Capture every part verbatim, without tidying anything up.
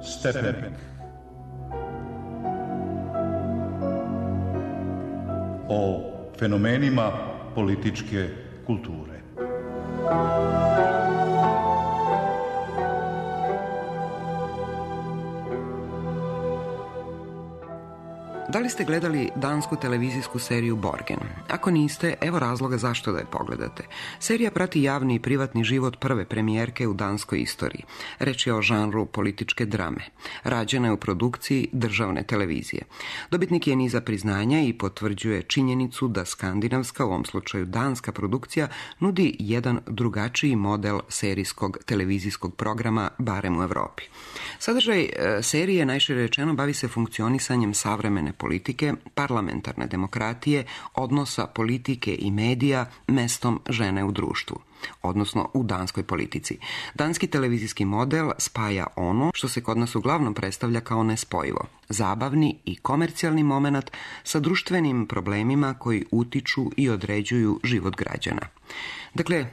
Stepenik. O fenomenima političke kulture. Da li ste gledali dansku televizijsku seriju Borgen? Ako niste, evo razloga zašto da je pogledate. Serija prati javni i privatni život prve premijerke u danskoj istoriji. Reč je o žanru političke drame. Rađena je u produkciji državne televizije. Dobitnik je niza priznanja i potvrđuje činjenicu da skandinavska, u ovom slučaju danska produkcija, nudi jedan drugačiji model serijskog televizijskog programa, barem u Evropi. Sadržaj e, serije, najšire rečeno, bavi se funkcionisanjem savremene politike, parlamentarne demokratije, odnosa politike i medija mestom žene u društvu, odnosno u danskoj politici. Danski televizijski model spaja ono što se kod nas uglavnom predstavlja kao nespojivo, zabavni i komercijalni momenat sa društvenim problemima koji utiču i određuju život građana. Dakle,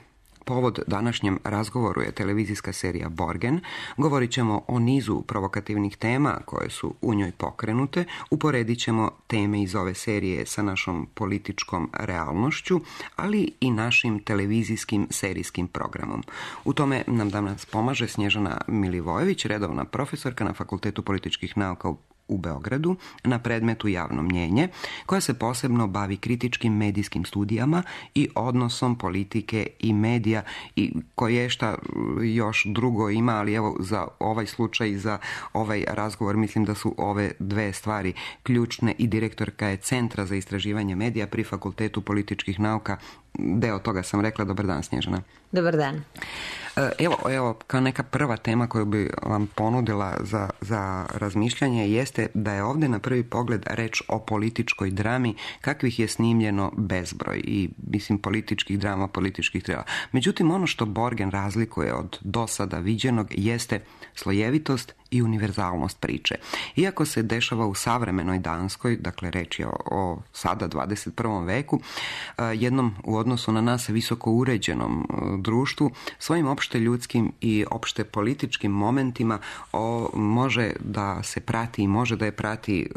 povod današnjem razgovoru je televizijska serija Borgen. Govorit ćemo o nizu provokativnih tema koje su u njoj pokrenute. Uporedit ćemo teme iz ove serije sa našom političkom realnošću, ali i našim televizijskim serijskim programom. U tome nam danas pomaže Snježana Milivojević, redovna profesorka na Fakultetu političkih nauka u u Beogradu na predmetu javno mnjenje, koja se posebno bavi kritičkim medijskim studijama i odnosom politike i medija i koje šta još drugo ima, ali evo za ovaj slučaj i za ovaj razgovor mislim da su ove dve stvari ključne i direktorka je Centra za istraživanje medija pri Fakultetu političkih nauka. Deo toga sam rekla. Dobar dan, Snježana. Dobar dan. Evo, evo, kao neka prva tema koju bi vam ponudila za, za razmišljanje jeste da je ovdje na prvi pogled reč o političkoj drami kakvih je snimljeno bezbroj i mislim političkih drama, političkih trela. Međutim, ono što Borgen razlikuje od do sada viđenog jeste slojevitost i univerzalnost priče. Iako se dešava u savremenoj Danskoj, dakle reč je o, o sada dvadeset prvom veku, jednom u odnosu na nas visoko uređenom društvu, svojim opšte ljudskim i opšte političkim momentima o, može da se prati i može da je prati e,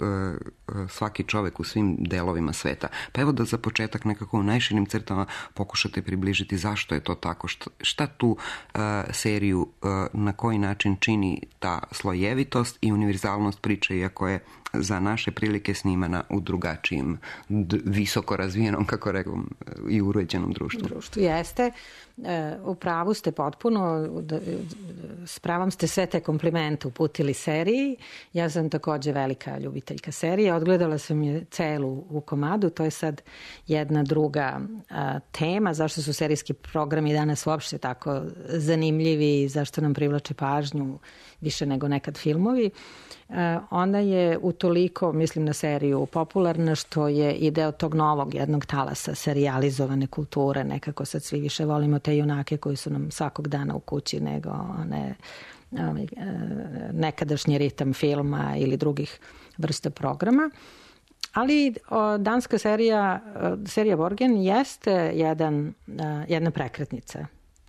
svaki čovjek u svim delovima sveta. Pa evo da za početak nekako u najširim crtama pokušate približiti zašto je to tako, šta, šta tu e, seriju e, na koji način čini ta slojevitost i univerzalnost priče, iako je za naše prilike snimana u drugačijem, d- visoko razvijenom, kako rekom, i uređenom društvu. Društvu jeste. E, u pravu ste potpuno, da, s pravom ste sve te komplimente uputili seriji. Ja sam također velika ljubiteljka serije. Odgledala sam je celu u komadu. To je sad jedna druga a, tema. Zašto su serijski programi danas uopšte tako zanimljivi i zašto nam privlače pažnju više nego nekad filmovi. E, ona je utoliko, mislim na seriju, popularna što je i deo tog novog jednog talasa serijalizovane kulture. Nekako sad svi više volimo te junake koji su nam svakog dana u kući nego one ovaj, nekadašnji ritam filma ili drugih vrsta programa. Ali o, danska serija, serija Borgen jeste jedan, jedna prekretnica,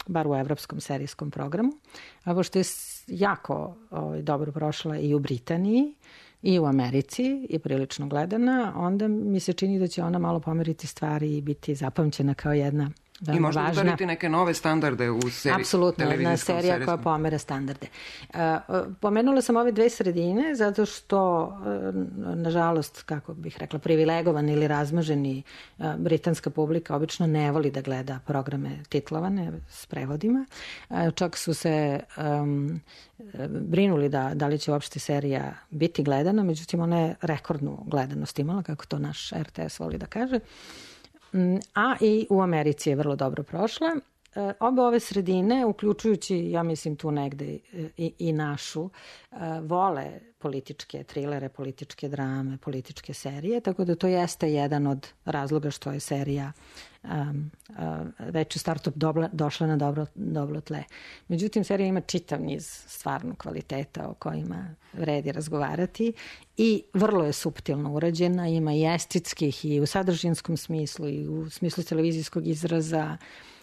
bar u evropskom serijskom programu, a pošto je jako ovaj, dobro prošla i u Britaniji i u Americi i prilično gledana, onda mi se čini da će ona malo pomeriti stvari i biti zapamćena kao jedna i možda važna. Udariti neke nove standarde u seriji. Apsolutno, jedna serija serijskom. Koja pomera standarde. Uh, pomenula sam ove dve sredine zato što, uh, nažalost, kako bih rekla, privilegovan ili razmaženi uh, britanska publika obično ne voli da gleda programe titlovane s prevodima. Uh, čak su se um, brinuli da, da li će uopšte serija biti gledana, međutim ona je rekordnu gledanost imala, kako to naš R T S voli da kaže. A i u Americi je vrlo dobro prošla. Obe ove sredine, uključujući, ja mislim tu negde i, i našu, vole političke trilere, političke drame, političke serije, tako da to jeste jedan od razloga što je serija um, uh, već u startu dobla, došla na dobro, dobro tle. Međutim, serija ima čitav niz stvarno kvaliteta o kojima vredi razgovarati i vrlo je suptilno urađena, ima i estetskih i u sadržinskom smislu i u smislu televizijskog izraza,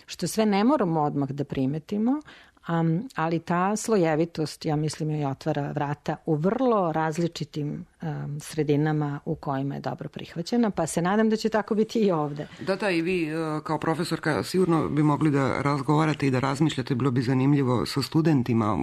što sve ne moramo odmah da primetimo, Um, ali ta slojevitost, ja mislim, joj otvara vrata u vrlo različitim um, sredinama u kojima je dobro prihvaćena, pa se nadam da će tako biti i ovde. Da, da, i vi kao profesorka sigurno bi mogli da razgovarate i da razmišljate, bilo bi zanimljivo sa studentima.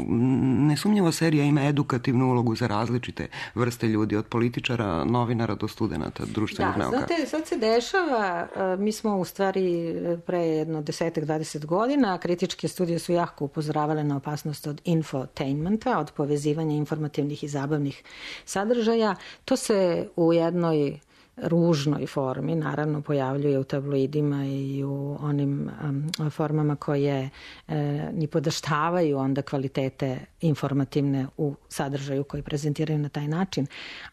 Nesumnjivo serija ima edukativnu ulogu za različite vrste ljudi, od političara, novinara do studenata društvenih nauka. Da, znate, sad se dešava, mi smo u stvari pre jedno desetak, dvadeset godina, kritičke studije su jako upozoravale na opasnost od infotainmenta, od povezivanja informativnih i zabavnih sadržaja. To se u jednoj ružnoj formi, naravno, pojavljuje u tabloidima i u onim um, formama koje e, ni podaštavaju onda kvalitete informativne u sadržaju koji prezentiraju na taj način.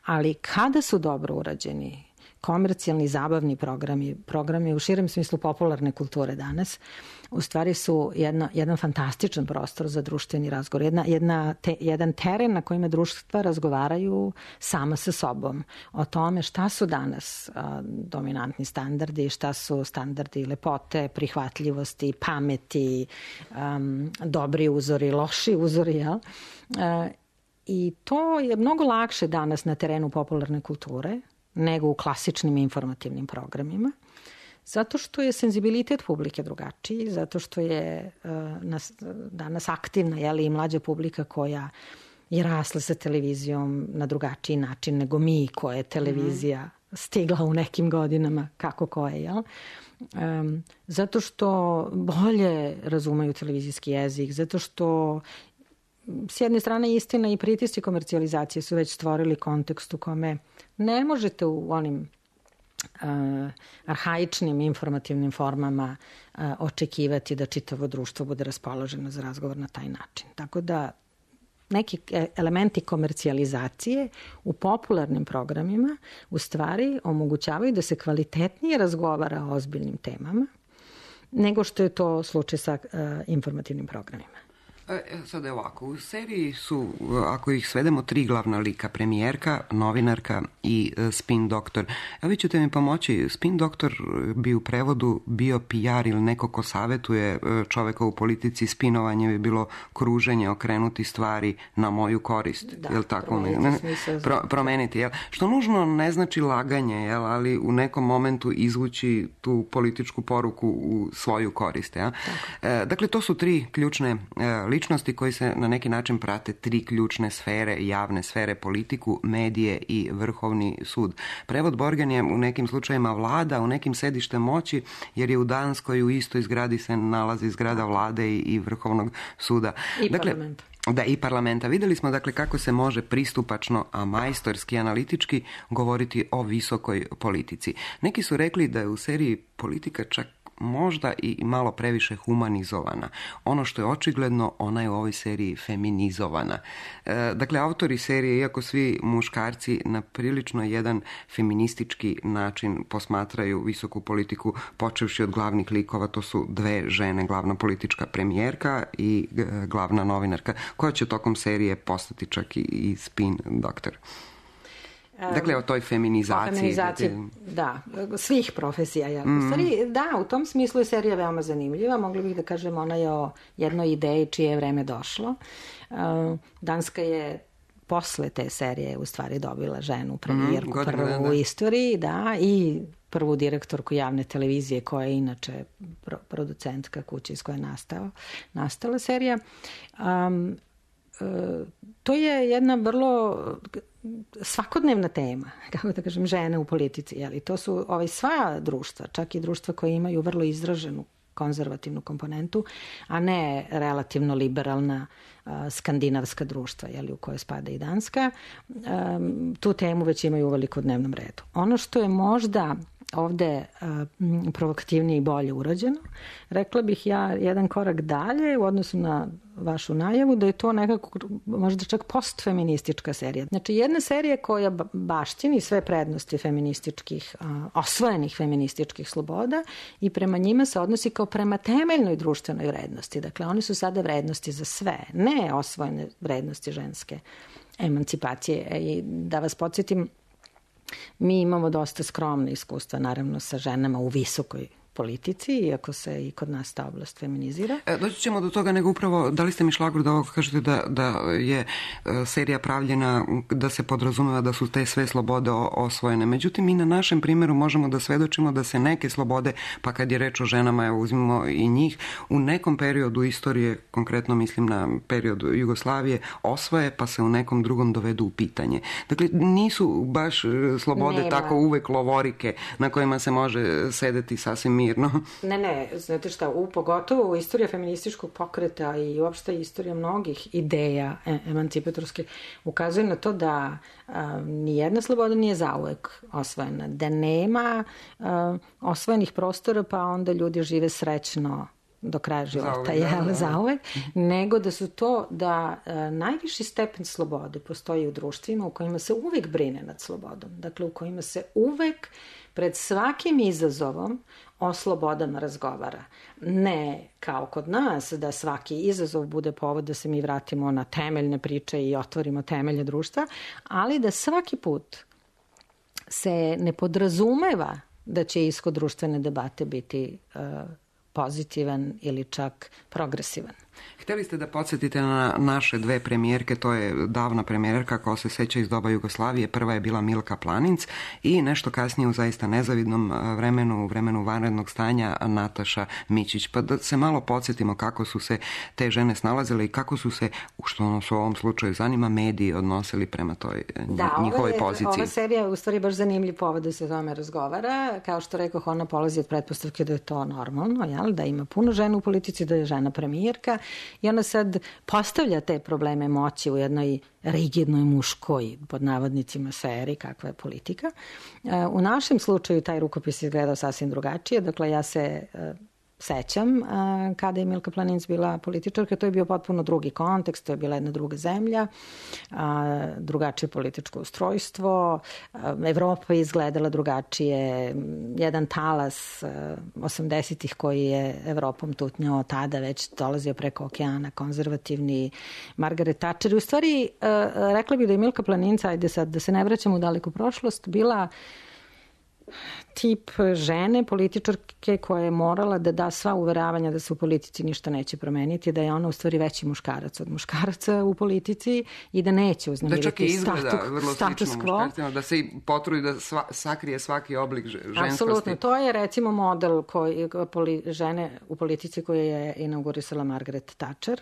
Ali kada su dobro urađeni komercijalni, zabavni programi, programi u širem smislu popularne kulture danas, u stvari su jedna, jedan fantastičan prostor za društveni razgovor. Jedna, jedna te, jedan teren na kojima društva razgovaraju sama sa sobom o tome šta su danas a, dominantni standardi, šta su standardi lepote, prihvatljivosti, pameti, um, dobri uzori, loši uzori, jel? A, I to je mnogo lakše danas na terenu popularne kulture nego u klasičnim informativnim programima, zato što je senzibilitet publike drugačiji, zato što je uh, nas, danas aktivna, jeli, i mlađa publika koja je rasla sa televizijom na drugačiji način nego mi, koje je televizija stigla u nekim godinama, kako koje, jel? Um, zato što bolje razumeju televizijski jezik, zato što s jedne strane istina i pritisci komercijalizacije su već stvorili kontekst u kome ne možete u onim uh, arhaičnim informativnim formama uh, očekivati da čitavo društvo bude raspoloženo za razgovor na taj način. Tako da neki elementi komercijalizacije u popularnim programima u stvari omogućavaju da se kvalitetnije razgovara o ozbiljnim temama nego što je to slučaj sa uh, informativnim programima. E, sad je ovako, u seriji su, ako ih svedemo, tri glavna lika: premijerka, novinarka i e, spin doktor. A vi ćete mi pomoći, spin doktor bi u prevodu bio P R ili neko ko savjetuje čoveka u politici. Spinovanje bi bilo kruženje, okrenuti stvari na moju korist. Da, jel tako? promeniti ne, pro, promeniti, jel? Što nužno ne znači laganje, jel? Ali u nekom momentu izvući tu političku poruku u svoju korist. Jel? E, dakle, to su tri ključne e, ličnosti koji se na neki način prate tri ključne sfere, javne sfere: politiku, medije i Vrhovni sud. Prevod Borgen je u nekim slučajima vlada, u nekim sedište moći, jer je u Danskoj u istoj zgradi se nalazi zgrada vlade i, i Vrhovnog suda. I dakle, parlamenta. Da, i parlamenta. Vidjeli smo dakle kako se može pristupačno, a majstorski, analitički govoriti o visokoj politici. Neki su rekli da je u seriji politika čak možda i malo previše humanizovana. Ono što je očigledno, ona je u ovoj seriji feminizovana. E, dakle, autori serije, iako svi muškarci na prilično jedan feministički način posmatraju visoku politiku, počevši od glavnih likova, to su dve žene, glavna politička premijerka i glavna novinarka, koja će tokom serije postati čak i, i spin doktor. Dakle, o toj feminizaciji. O feminizaciji, da, svih profesija. Ja. Mm. U stvari, da, u tom smislu je serija veoma zanimljiva. Mogli bih da kažem, ona je o jednoj ideji čije je vreme došlo. Danska je posle te serije u stvari dobila ženu premijerku, mm, prvu da, da. u istoriji, da, i prvu direktorku javne televizije, koja je inače producentka kuće iz koje je nastao, nastala serija. Um, to je jedna vrlo svakodnevna tema, kako da kažem, žene u politici. Jeli? To su ovaj, sva društva, čak i društva koje imaju vrlo izraženu konzervativnu komponentu, a ne relativno liberalna uh, skandinavska društva, jeli, u kojoj spada i Danska. Um, tu temu već imaju uveliko u dnevnom redu. Ono što je možda ovde uh, provokativnije i bolje urađeno, rekla bih ja jedan korak dalje u odnosu na vašu najavu, da je to nekako možda čak postfeministička serija. Znači, jedna serija koja baštini sve prednosti feminističkih, uh, osvojenih feminističkih sloboda i prema njima se odnosi kao prema temeljnoj društvenoj vrednosti. Dakle, one su sada vrednosti za sve, ne osvojene vrednosti ženske emancipacije. I da vas podsjetim, mi imamo dosta skromne iskustva, naravno, sa ženama u visokoj politici, iako se i kod nas ta oblast feminizira. E, doći ćemo do toga, nego upravo dali ste mi šlagvort da ovo kažete da, da je e, serija pravljena da se podrazumeva da su te sve slobode osvojene. Međutim, mi na našem primjeru možemo da svedočimo da se neke slobode, pa kad je reč o ženama, evo uzmimo i njih, u nekom periodu istorije, konkretno mislim na period Jugoslavije, osvoje, pa se u nekom drugom dovedu u pitanje. Dakle, nisu baš slobode Nema. tako uvek lovorike na kojima se može sedeti sasvim mirno. Ne, ne, znate šta, u pogotovo istorija feminističkog pokreta i uopšte istorija mnogih ideja e, emancipatorske ukazuje na to da a, nijedna sloboda nije zauvek osvojena, da nema a, osvojenih prostora pa onda ljudi žive srećno do kraja života, jel, da, da. zauvek, nego da su to da a, najviši stepen slobode postoji u društvima u kojima se uvek brine nad slobodom, dakle u kojima se uvek pred svakim izazovom o slobodama razgovara. Ne kao kod nas, da svaki izazov bude povod da se mi vratimo na temeljne priče i otvorimo temelje društva, ali da svaki put se ne podrazumeva da će ishod društvene debate biti uh, pozitivan ili čak progresivan. Htjeli ste da podsjetite na naše dve premijerke, to je davna premijerka koja se seća iz doba Jugoslavije, prva je bila Milka Planinc i nešto kasnije u zaista nezavidnom vremenu, u vremenu vanrednog stanja, Nataša Mićić. Pa da se malo podsjetimo kako su se te žene snalazile i kako su se, što nas u ovom slučaju zanima, mediji odnosili prema toj da, njihovoj je, poziciji. Ova serija je u stvari baš zanimljiv povod da se o tome razgovara. Kao što rekoh, ona polazi od pretpostavke da je to normalno, jel? Da ima puno žena u politici, da je žena premijerka. I ona sad postavlja te probleme moći u jednoj rigidnoj muškoj, pod navodnicima, sferi, kakva je politika. U našem slučaju taj rukopis izgledao sasvim drugačije. Dakle, ja se sećam kada je Milka Planinc bila političarka, to je bio potpuno drugi kontekst, to je bila jedna druga zemlja, drugačije političko ustrojstvo, Evropa je izgledala drugačije, jedan talas osamdesetih koji je Evropom tutnjao tada već dolazio preko okeana, konzervativni, Margaret Thatcher. U stvari, rekla bih da je Milka Planinc, ajde sad da se ne vraćamo u daleku prošlost, bila tip žene, političarke koja je morala da da sva uveravanja da se u politici ništa neće promeniti, da je ona u stvari veći muškarac od muškaraca u politici i da neće uznemiriti da čak i izgleda status, vrlo status slično quo. Muškarcima, da se i potrudi da sva, sakrije svaki oblik ženskosti. Apsolutno, to je recimo model koji, poli, žene u politici koju je inaugurisala Margaret Thatcher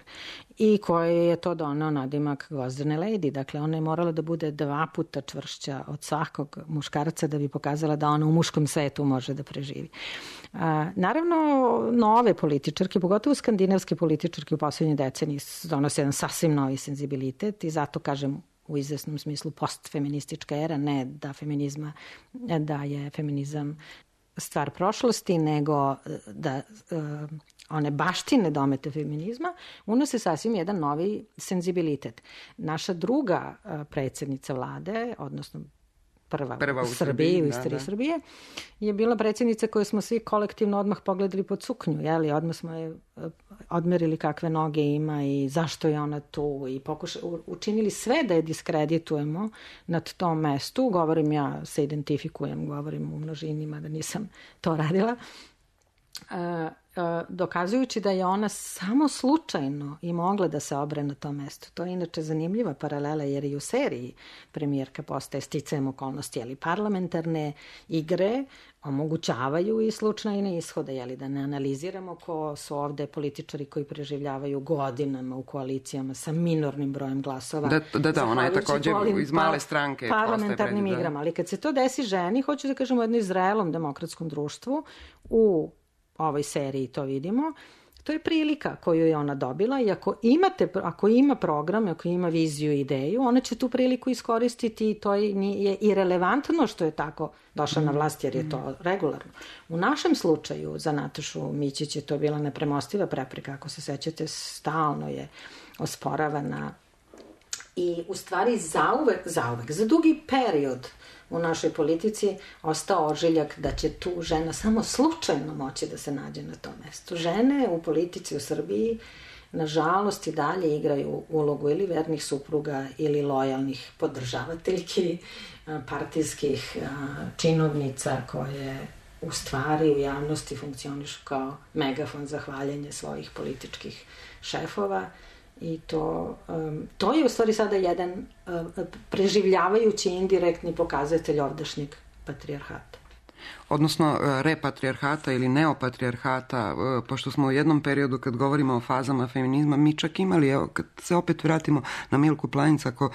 i koji je to donao nadimak gvozdene lady. Dakle, ona je morala da bude dva puta čvršća od svakog muškarca da bi pokazala da ona u muškom svetu može da preživi. A, naravno, nove političarke, pogotovo skandinavske političarke u poslednjoj deceniji donose jedan sasvim novi senzibilitet i zato kažem u izvesnom smislu postfeministička era, ne da feminizma, da je feminizam stvar prošlosti, nego da uh, one baštine domete feminizma unose sasvim jedan novi senzibilitet. Naša druga uh, predsjednica vlade, odnosno prva, prva u Srbiji, u istoriji da, da. Srbije, je bila predsjednica koju smo svi kolektivno odmah pogledali pod suknju, jeli? Odmah smo je odmerili kakve noge ima i zašto je ona tu i pokuša, učinili sve da je diskreditujemo nad tom mestu. Govorim, ja se identifikujem, govorim u množinima da nisam to radila. Uh, dokazujući da je ona samo slučajno i mogla da se obre na tom mestu. To je inače zanimljiva paralela jer i u seriji premijerka postaje sticajem okolnosti, ali parlamentarne igre omogućavaju i slučajne ishode, jeli, da ne analiziramo ko su ovde političari koji preživljavaju godinama u koalicijama sa minornim brojem glasova. Da, da, da ona je također iz male stranke parlamentarnim postaje igrama, ali kad se to desi ženi, hoću da kažem u jednom zrelom demokratskom društvu, u ovoj seriji to vidimo, to je prilika koju je ona dobila i ako, imate, ako ima program, ako ima viziju i ideju, ona će tu priliku iskoristiti i to je i relevantno što je tako došla na vlast jer je to regularno. U našem slučaju za Natašu Mićić je to bila nepremostiva prepreka, ako se sećate, stalno je osporavana i u stvari zauvek, zauvek, za dugi period u našoj politici ostao ožiljak da će tu žena samo slučajno moći da se nađe na tom mestu. Žene u politici u Srbiji nažalost i dalje igraju ulogu ili vernih supruga ili lojalnih podržavateljki, partijskih činovnica koje u stvari u javnosti funkcionišu kao megafon za hvaljenje svojih političkih šefova i to, um, to je u stvari sada jedan uh, preživljavajući indirektni pokazatelj ovdašnjeg patrijarhata. Odnosno repatrijarhata ili neopatrijarhata, pošto smo u jednom periodu kad govorimo o fazama feminizma, mi čak imali, evo, kad se opet vratimo na Milku Planinc, ako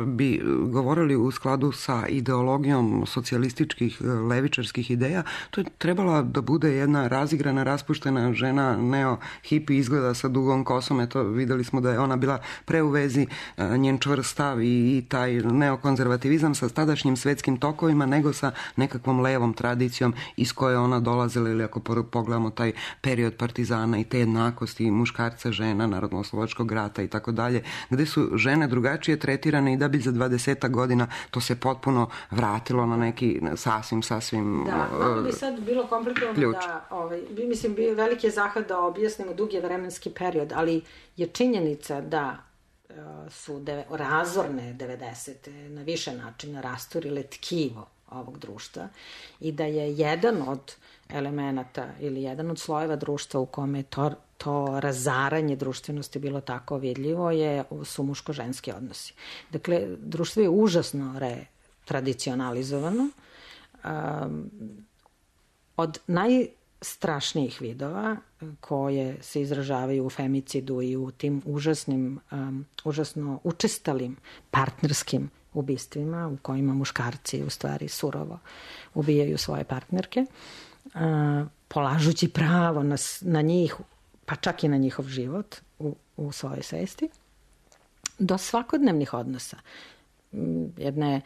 bi govorili u skladu sa ideologijom socijalističkih, levičarskih ideja, to je trebala da bude jedna razigrana, raspuštena žena, neo-hipi, izgleda sa dugom kosom, eto, videli smo da je ona bila pre u vezi, njen čvrst stav i taj neokonzervativizam sa tadašnjim svetskim tokovima, nego sa nekakvom levom tradicijom iz koje ona dolazila, ili ako pogledamo taj period partizana i te jednakosti muškarca, žena, narodno-oslobodačkog rata i tako dalje, gde su žene drugačije tretirane i da bi za dvadesetak godina to se potpuno vratilo na neki sasvim, sasvim Da, malo bi sad bilo komplikovano ključ. Da, ovaj, mislim, veliki je zahvat da objasnimo dug je vremenski period, ali je činjenica da su deve, razorne devedesete na više načina rasturile tkivo ovog društva i da je jedan od elemenata ili jedan od slojeva društva u kome to, to razaranje društvenosti bilo tako vidljivo je, su muško-ženski odnosi. Dakle, društvo je užasno retradicionalizovano. Um, od najstrašnijih vidova koje se izražavaju u femicidu i u tim užasnim, um, užasno učestalim partnerskim ubistvima u kojima muškarci u stvari surovo ubijaju svoje partnerke, uh, polažući pravo na, na njih, pa čak i na njihov život u, u svojoj svesti, do svakodnevnih odnosa. Jedne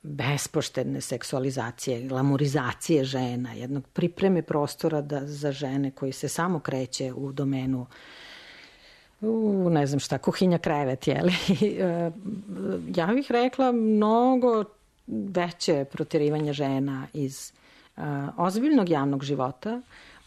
bespoštedne seksualizacije, glamurizacije žena, jednog pripreme prostora da, za žene koji se samo kreće u domenu u, ne znam šta, kuhinja, krevet, jeli? Ja bih rekla mnogo veće proterivanje žena iz uh, ozbiljnog javnog života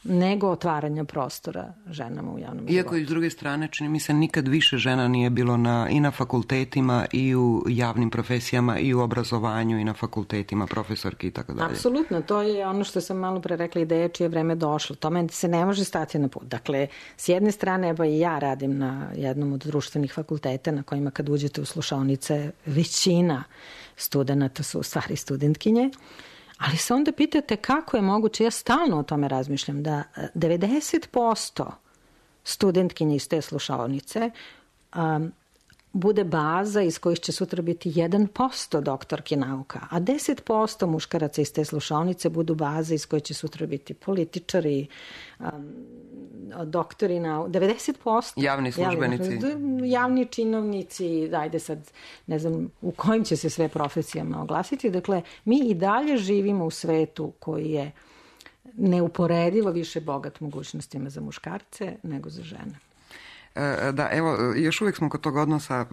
nego otvaranja prostora ženama u javnom životu. Iako i s druge strane, čini mi se, nikad više žena nije bilo na, i na fakultetima i u javnim profesijama i u obrazovanju i na fakultetima, profesorki i tako dalje. Apsolutno, to je ono što sam malo pre rekla, ideja čije vreme došlo. Tome se ne može stati na put. Dakle, s jedne strane, evo i ja radim na jednom od društvenih fakulteta na kojima kad uđete u slušaonice, većina studenata su u stvari studentkinje. Ali se onda pitate kako je moguće, ja stalno o tome razmišljam, da devedeset posto studentkinje iz te slušaonice um, bude baza iz kojih će sutra biti jedan posto doktorki nauka, a deset posto muškaraca iz te slušaonice budu baza iz koje će sutra biti političari, um, doktori nauka, devedeset posto. Javni službenici. Javni, javni činovnici, ajde sad, ne znam u kojim će se sve profesijama oglasiti. Dakle, mi i dalje živimo u svetu koji je neuporedivo više bogat mogućnostima za muškarce nego za žene. Da, evo, još uvijek smo kod tog odnosa e,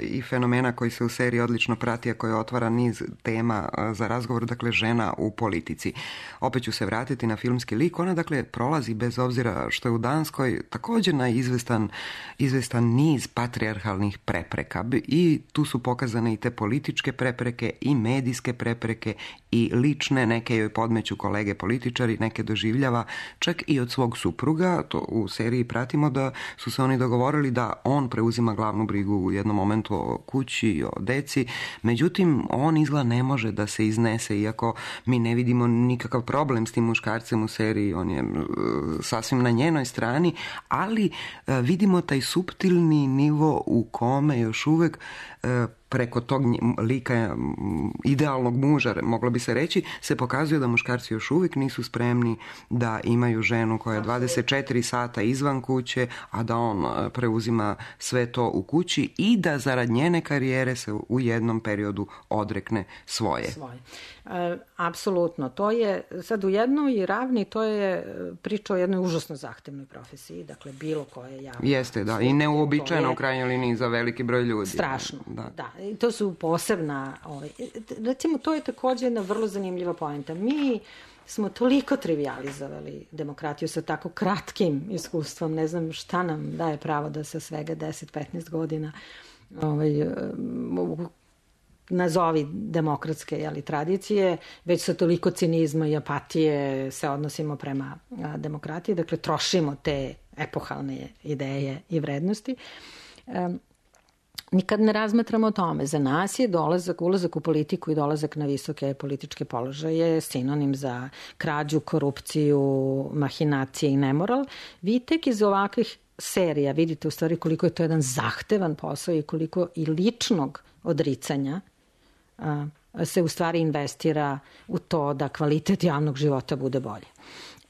i fenomena koji se u seriji odlično prati, a koji otvara niz tema e, za razgovor, dakle, žena u politici. Opet ću se vratiti na filmski lik. Ona, dakle, prolazi, bez obzira što je u Danskoj, također na izvestan, izvestan niz patrijarhalnih prepreka. I tu su pokazane i te političke prepreke, i medijske prepreke, i lične, neke joj podmeću kolege političari, neke doživljava čak i od svog supruga. To u seriji pratimo da su se oni dogovorili da on preuzima glavnu brigu u jednom momentu o kući i o deci. Međutim, on izgleda ne može da se iznese, iako mi ne vidimo nikakav problem s tim muškarcem u seriji. On je sasvim na njenoj strani, ali vidimo taj suptilni nivo u kome još uvek preko tog lika idealnog muža, moglo bi se reći, se pokazuje da muškarci još uvijek nisu spremni da imaju ženu koja je dvadeset četiri sata izvan kuće, a da on preuzima sve to u kući i da zarad njene karijere se u jednom periodu odrekne svoje. Svoje. E, apsolutno. To je sad u jednoj ravni, to je priča o jednoj užasno zahtevnoj profesiji, dakle bilo koje javno. Jeste, da, i neuobičajeno u krajnjoj liniji za veliki broj ljudi. Strašno, da. da. I to su posebna, ovaj, recimo to je također jedna vrlo zanimljiva poenta. Mi smo toliko trivializovali demokratiju sa tako kratkim iskustvom, ne znam šta nam daje pravo da sa svega deset do petnaest godina ovaj, nazovi demokratske jeli, tradicije, već sa toliko cinizma i apatije se odnosimo prema a, demokratiji, dakle trošimo te epohalne ideje i vrednosti. Um, Nikad ne razmatramo o tome. Za nas je dolazak, ulazak u politiku i dolazak na visoke političke položaje sinonim za krađu, korupciju, mahinacije i nemoral. Vi tek iz ovakvih serija vidite u stvari koliko je to jedan zahtevan posao i koliko i ličnog odricanja a, se u stvari investira u to da kvalitet javnog života bude bolje.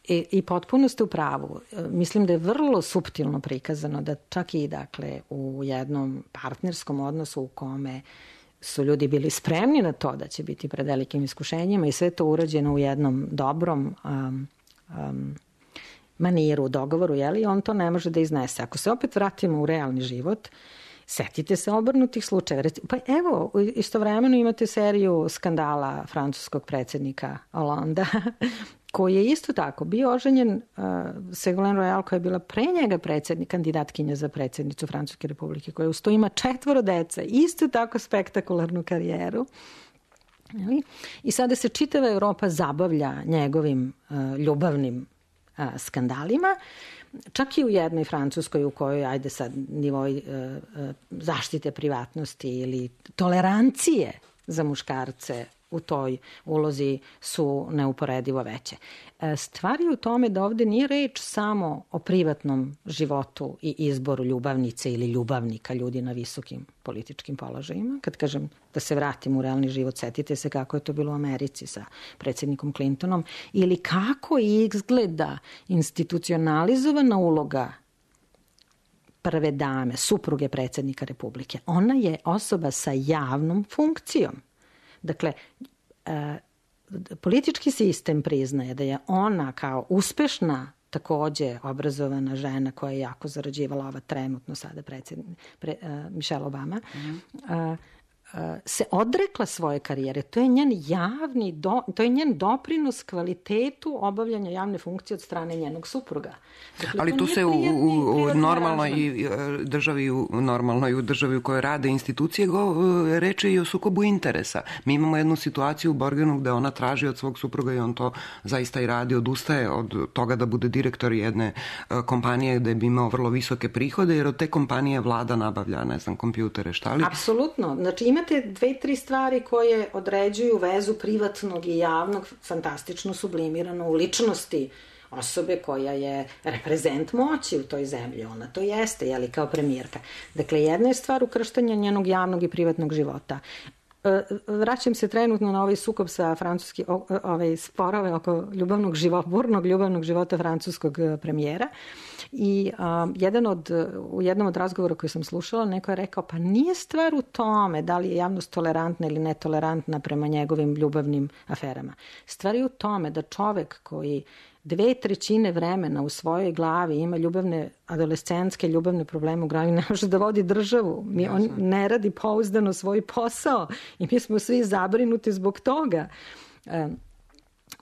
I, I potpuno ste u pravu. Mislim da je vrlo suptilno prikazano da čak i dakle, u jednom partnerskom odnosu u kome su ljudi bili spremni na to da će biti pred velikim iskušenjima i sve to urađeno u jednom dobrom um, um, maniru, dogovoru, jeli, on to ne može da iznese. Ako se opet vratimo u realni život, setite se obrnutih slučajeva. Pa evo, istovremeno imate seriju skandala francuskog predsjednika Hollanda, koji je isto tako bio oženjen uh, Ségolène Royal, koja je bila pre njega predsjednik, kandidatkinja za predsjednicu Francuske republike, koja uz to ima četvoro dece, isto tako spektakularnu karijeru. I sada se čitava Evropa zabavlja njegovim uh, ljubavnim uh, skandalima, čak i u jednoj Francuskoj u kojoj, ajde sad, nivoj uh, uh, zaštite privatnosti ili tolerancije za muškarce u toj ulozi su neuporedivo veće. Stvar je u tome da ovde nije reč samo o privatnom životu i izboru ljubavnice ili ljubavnika ljudi na visokim političkim položajima. Kad kažem da se vratim u realni život, setite se kako je to bilo u Americi sa predsjednikom Clintonom ili kako izgleda institucionalizovana uloga prve dame, supruge predsjednika Republike. Ona je osoba sa javnom funkcijom. Dakle, e, politički sistem priznaje da je ona kao uspešna, takođe obrazovana žena koja je jako zarađivala, ova trenutno sada predsjednik, pre, e, Michelle Obama, mm-hmm. e, se odrekla svoje karijere. To je njen javni, do, to je njen doprinos kvalitetu obavljanja javne funkcije od strane njenog supruga. Dakle, ali tu se u, u, u normalnoj državi, u normalnoj u državi u kojoj rade institucije go, reče i o sukobu interesa. Mi imamo jednu situaciju u Borgenu gde ona traži od svog supruga i on to zaista i radi, odustaje od toga da bude direktor jedne kompanije gde bi imao vrlo visoke prihode, jer od te kompanije vlada nabavlja, ne znam, kompjutere, šta li? Apsolutno. Znači ima imate dve, tri stvari koje određuju vezu privatnog i javnog, fantastično sublimirano u ličnosti osobe koja je reprezent moći u toj zemlji. Ona to jeste, jeli, kao premijerka. Dakle, jedna je stvar ukrštanja njenog javnog i privatnog života. Vraćam se trenutno na ovaj sukob sa francuski, ovaj sporove oko ljubavnog života, burnog ljubavnog života francuskog premijera. I um, jedan od, u jednom od razgovora koji sam slušala, neko je rekao, pa nije stvar u tome da li je javnost tolerantna ili netolerantna prema njegovim ljubavnim aferama. Stvar je u tome da čovek koji dve trećine vremena u svojoj glavi ima ljubavne, adolescentske ljubavne probleme u glavi, ne može da vodi državu. Mi, on ne radi pouzdano svoj posao i mi smo svi zabrinuti zbog toga. Um,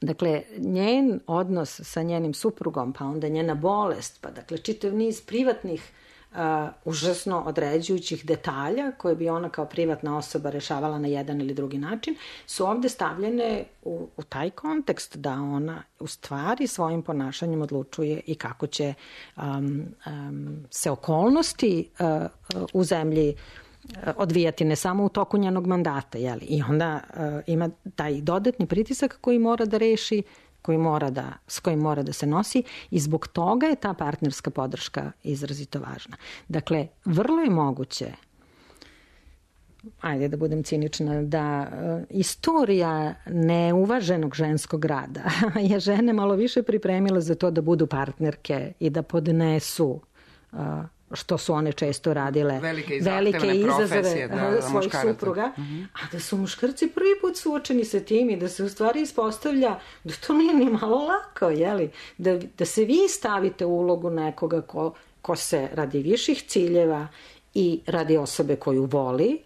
Dakle, njen odnos sa njenim suprugom, pa onda njena bolest, pa dakle čitav niz privatnih, uh, užasno određujućih detalja koje bi ona kao privatna osoba rešavala na jedan ili drugi način, su ovde stavljene u, u taj kontekst da ona u stvari svojim ponašanjem odlučuje i kako će um, um, se okolnosti uh, u zemlji odvijati ne samo u toku njenog mandata, jeli? I onda uh, ima taj dodatni pritisak koji mora da reši, koji mora da, s kojim mora da se nosi i zbog toga je ta partnerska podrška izrazito važna. Dakle, vrlo je moguće, ajde da budem cinična, da uh, istorija neuvaženog ženskog rada je žene malo više pripremila za to da budu partnerke i da podnesu uh, što su one često radile, velike, velike izazove da, svojih supruga, mm-hmm. a da su muškarci prvi put suočeni sa tim i da se u stvari ispostavlja da to nije ni malo lako, jeli? Da, da se vi stavite u ulogu nekoga ko, ko se radi viših ciljeva i radi osobe koju voli,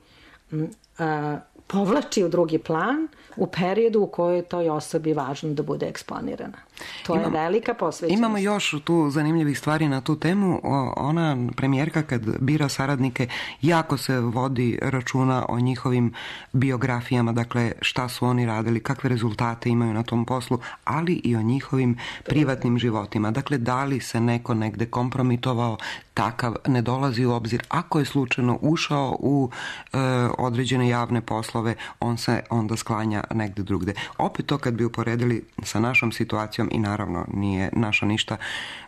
a, povlači u drugi plan u periodu u kojoj je toj osobi važno da bude eksponirana. To imamo, je velika posvećenost. Imamo još tu zanimljivih stvari na tu temu. Ona premijerka kad bira saradnike jako se vodi računa o njihovim biografijama, dakle šta su oni radili, kakve rezultate imaju na tom poslu, ali i o njihovim privatnim životima. Dakle, da li se neko negde kompromitovao, takav ne dolazi u obzir. Ako je slučajno ušao u e, određene javne poslove, on se onda sklanja negde drugde. Opet to kad bi uporedili sa našom situacijom, i naravno nije naša ništa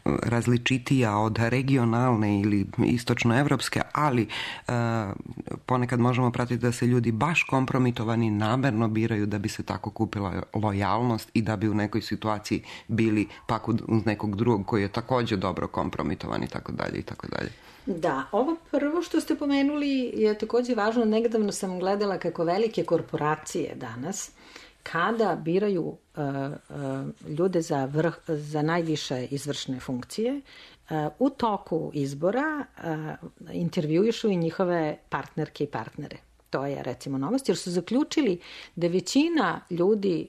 različitija od regionalne ili istočnoevropske, ali e, ponekad možemo pratiti da se ljudi baš kompromitovani namerno biraju da bi se tako kupila lojalnost i da bi u nekoj situaciji bili pak uz nekog drugog koji je također dobro kompromitovan i tako dalje i tako dalje. Da, ovo prvo što ste pomenuli je također važno. Negdavno sam gledala kako velike korporacije danas, kada biraju uh, uh, ljude za, vrh, za najviše izvršne funkcije, uh, u toku izbora uh, intervjuišu i njihove partnerke i partnere. To je recimo novost, jer su zaključili da većina ljudi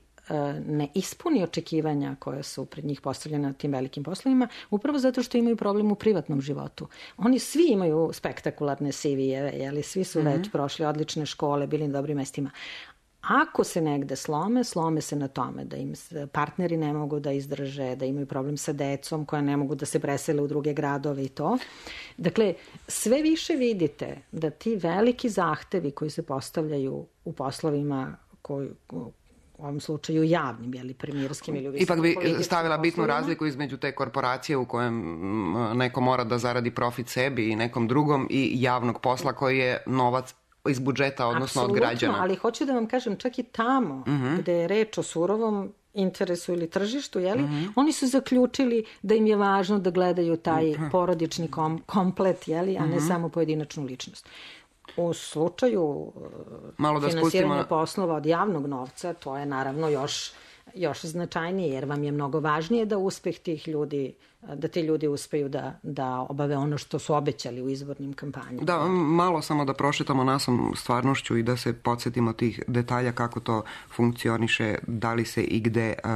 ne ispuni očekivanja koje su pred njih postavljene na tim velikim poslovima, upravo zato što imaju problem u privatnom životu. Oni svi imaju spektakularne C V-eve, jeli, svi su mm-hmm. već prošli odlične škole, bili na dobrim mestima. Ako se negde slome, slome se na tome da im partneri ne mogu da izdrže, da imaju problem sa decom koja ne mogu da se presele u druge gradove i to. Dakle, sve više vidite da ti veliki zahtevi koji se postavljaju u poslovima koji u ovom slučaju javnim, jeli, premijerskim ili ipak bi stavila bitnu poslovima. Razliku između te korporacije u kojem neko mora da zaradi profit sebi i nekom drugom i javnog posla koji je novac iz budžeta, odnosno Absolutno, od građana. Ali hoću da vam kažem, čak i tamo uh-huh. gde je reč o surovom interesu ili tržištu, jeli, uh-huh. oni su zaključili da im je važno da gledaju taj uh-huh. porodični kom, komplet, jeli, a uh-huh. ne samo pojedinačnu ličnost. U slučaju Malo da finansiranja spustimo... poslova od javnog novca, to je naravno još, još značajnije, jer vam je mnogo važnije da uspeh tih ljudi, da ti ljudi uspeju da, da obave ono što su obećali u izbornim kampanjama. Da, malo samo da prošetamo nasom stvarnošću i da se podsjetimo tih detalja kako to funkcioniše, da li se i gde uh,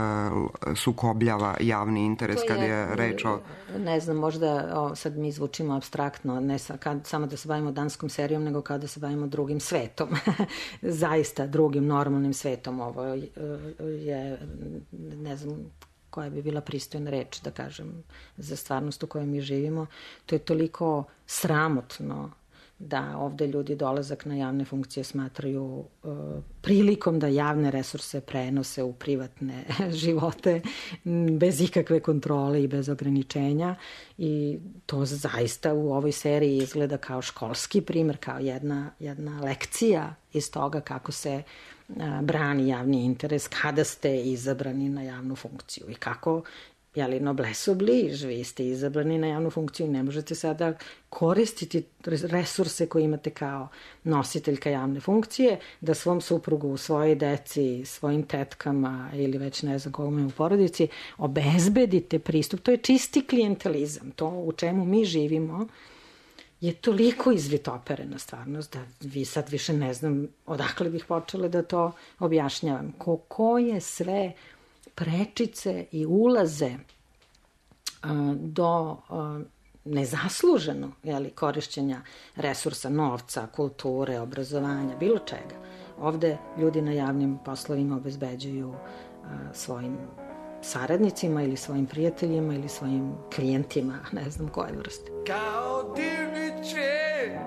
sukobljava javni interes to kad je, je reč o... Ne znam, možda o, sad mi zvučimo apstraktno, ne sa, kad, samo da se bavimo danskom serijom, nego kada se bavimo drugim svetom. Zaista drugim normalnim svetom. Ovo je, ne znam, koja bi bila pristojna reč, da kažem, za stvarnost u kojoj mi živimo. To je toliko sramotno da ovde ljudi dolazak na javne funkcije smatraju uh, prilikom da javne resurse prenose u privatne živote bez ikakve kontrole i bez ograničenja. I to zaista u ovoj seriji izgleda kao školski primer, kao jedna, jedna lekcija iz toga kako se brani javni interes kada ste izabrani na javnu funkciju i kako, jeli, noblesse oblige, vi ste izabrani na javnu funkciju i ne možete sada koristiti resurse koje imate kao nositeljka javne funkcije da svom suprugu, svojoj deci, svojim tetkama ili već ne znam kogome u porodici obezbedite pristup. To je čisti klijentelizam. To u čemu mi živimo je toliko izvitoperena stvarnost da vi sad više ne znam odakle bih počela da to objašnjavam. Ko, koje sve prečice i ulaze a, do a, nezasluženo, jeli, korišćenja resursa, novca, kulture, obrazovanja, bilo čega. Ovde ljudi na javnim poslovima obezbeđuju a, svojim saradnicima ili svojim prijateljima ili svojim klijentima, ne znam koje vrste. Kao divniče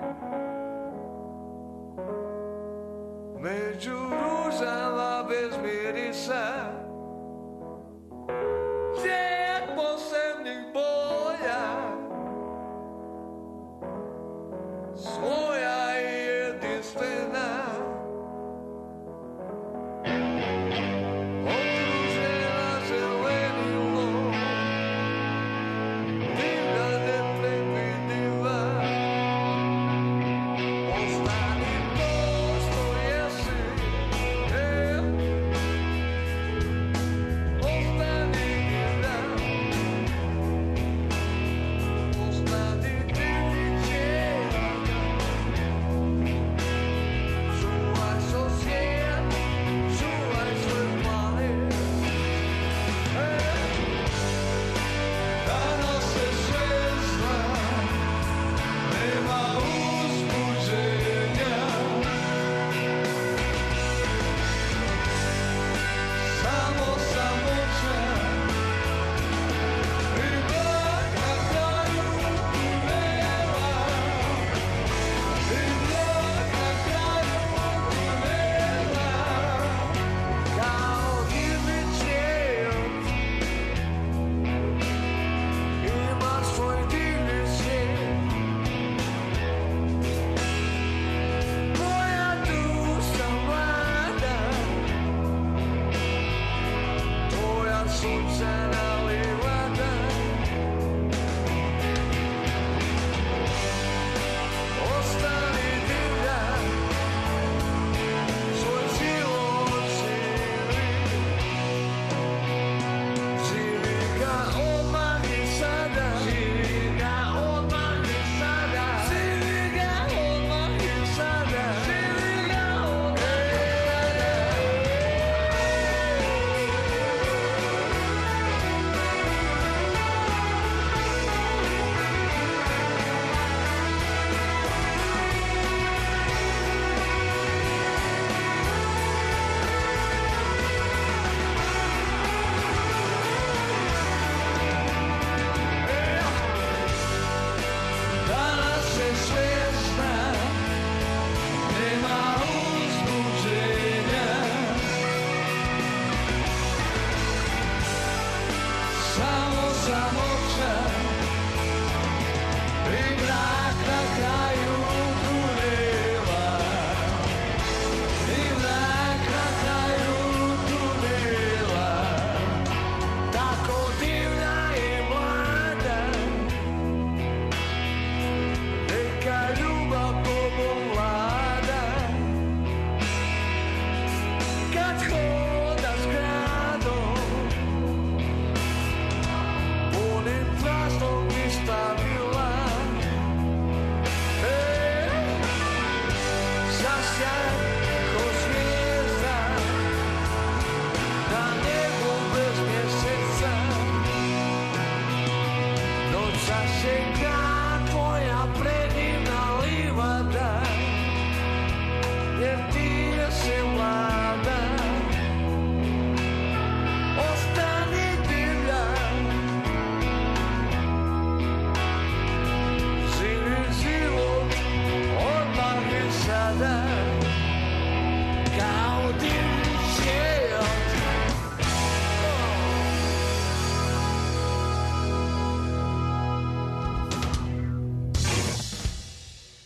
među ružama bez mirisa, cvijet posebnih boja, svoja i jedinstvena.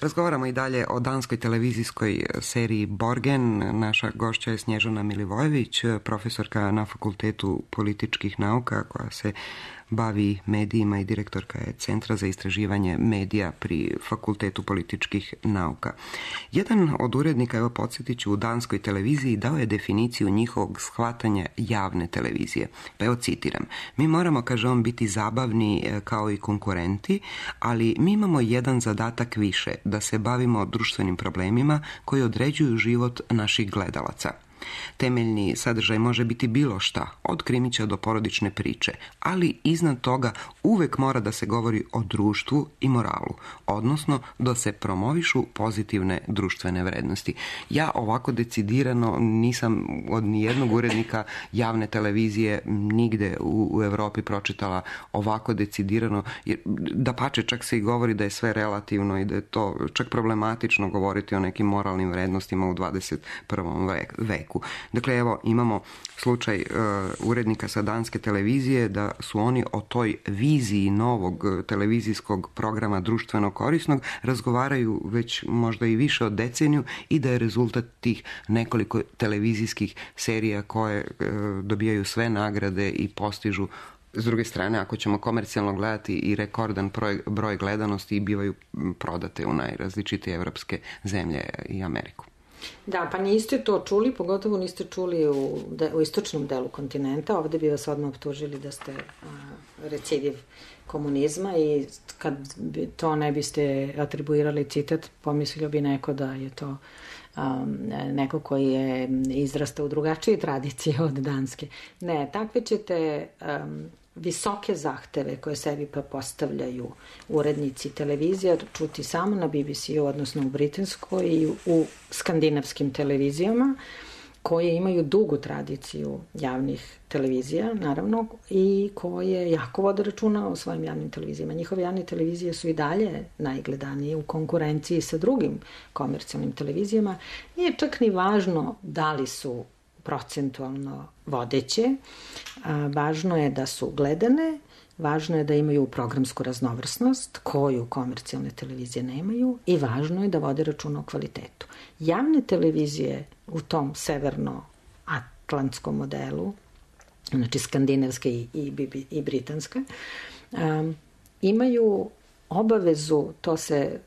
Razgovaramo i dalje o danskoj televizijskoj seriji Borgen. Naša gošća je Snježana Milivojević, profesorka na Fakultetu političkih nauka koja se bavi medijima i direktorka je Centra za istraživanje medija pri Fakultetu političkih nauka. Jedan od urednika, evo podsjetit ću, u danskoj televiziji dao je definiciju njihovog shvatanja javne televizije. Pa evo citiram: mi moramo, kaže on, biti zabavni kao i konkurenti, ali mi imamo jedan zadatak više, da se bavimo društvenim problemima koji određuju život naših gledalaca. Temeljni sadržaj može biti bilo šta, od krimića do porodične priče, ali iznad toga uvek mora da se govori o društvu i moralu, odnosno da se promovišu pozitivne društvene vrednosti. Ja ovako decidirano nisam od nijednog urednika javne televizije nigde u, u Evropi pročitala ovako decidirano, jer da pače čak se i govori da je sve relativno i da je to čak problematično govoriti o nekim moralnim vrednostima u dvadeset prvom veku. Dakle, evo, imamo slučaj uh, urednika sa danske televizije da su oni o toj viziji novog televizijskog programa društveno korisnog razgovaraju već možda i više od deceniju i da je rezultat tih nekoliko televizijskih serija koje uh, dobijaju sve nagrade i postižu, s druge strane, ako ćemo komercijalno gledati, i rekordan broj, broj gledanosti i bivaju prodate u najrazličitije evropske zemlje i Ameriku. Da, pa niste to čuli, pogotovo niste čuli u, de, u istočnom delu kontinenta. Ovde bi vas odmah optužili da ste a, recidiv komunizma i kad bi to ne biste atribuirali citat, pomislio bi neko da je to um, neko koji je izrastao u drugačije tradicije od danske. Ne, takve ćete um, visoke zahteve koje sebi pa postavljaju urednici televizija čuti samo na B B C-u, odnosno u britanskoj i u skandinavskim televizijama koje imaju dugu tradiciju javnih televizija, naravno, i koje jako vode računa o svojim javnim televizijama. Njihove javne televizije su i dalje najgledanije u konkurenciji sa drugim komercijalnim televizijama. Nije čak ni važno da li su procentualno vodeće. A, važno je da su gledane, važno je da imaju programsku raznovrsnost koju komercijalne televizije nemaju i važno je da vode računa o kvalitetu. Javne televizije u tom severno-atlantskom modelu, znači skandinavske i, i, i britanske, um, imaju obavezu, to se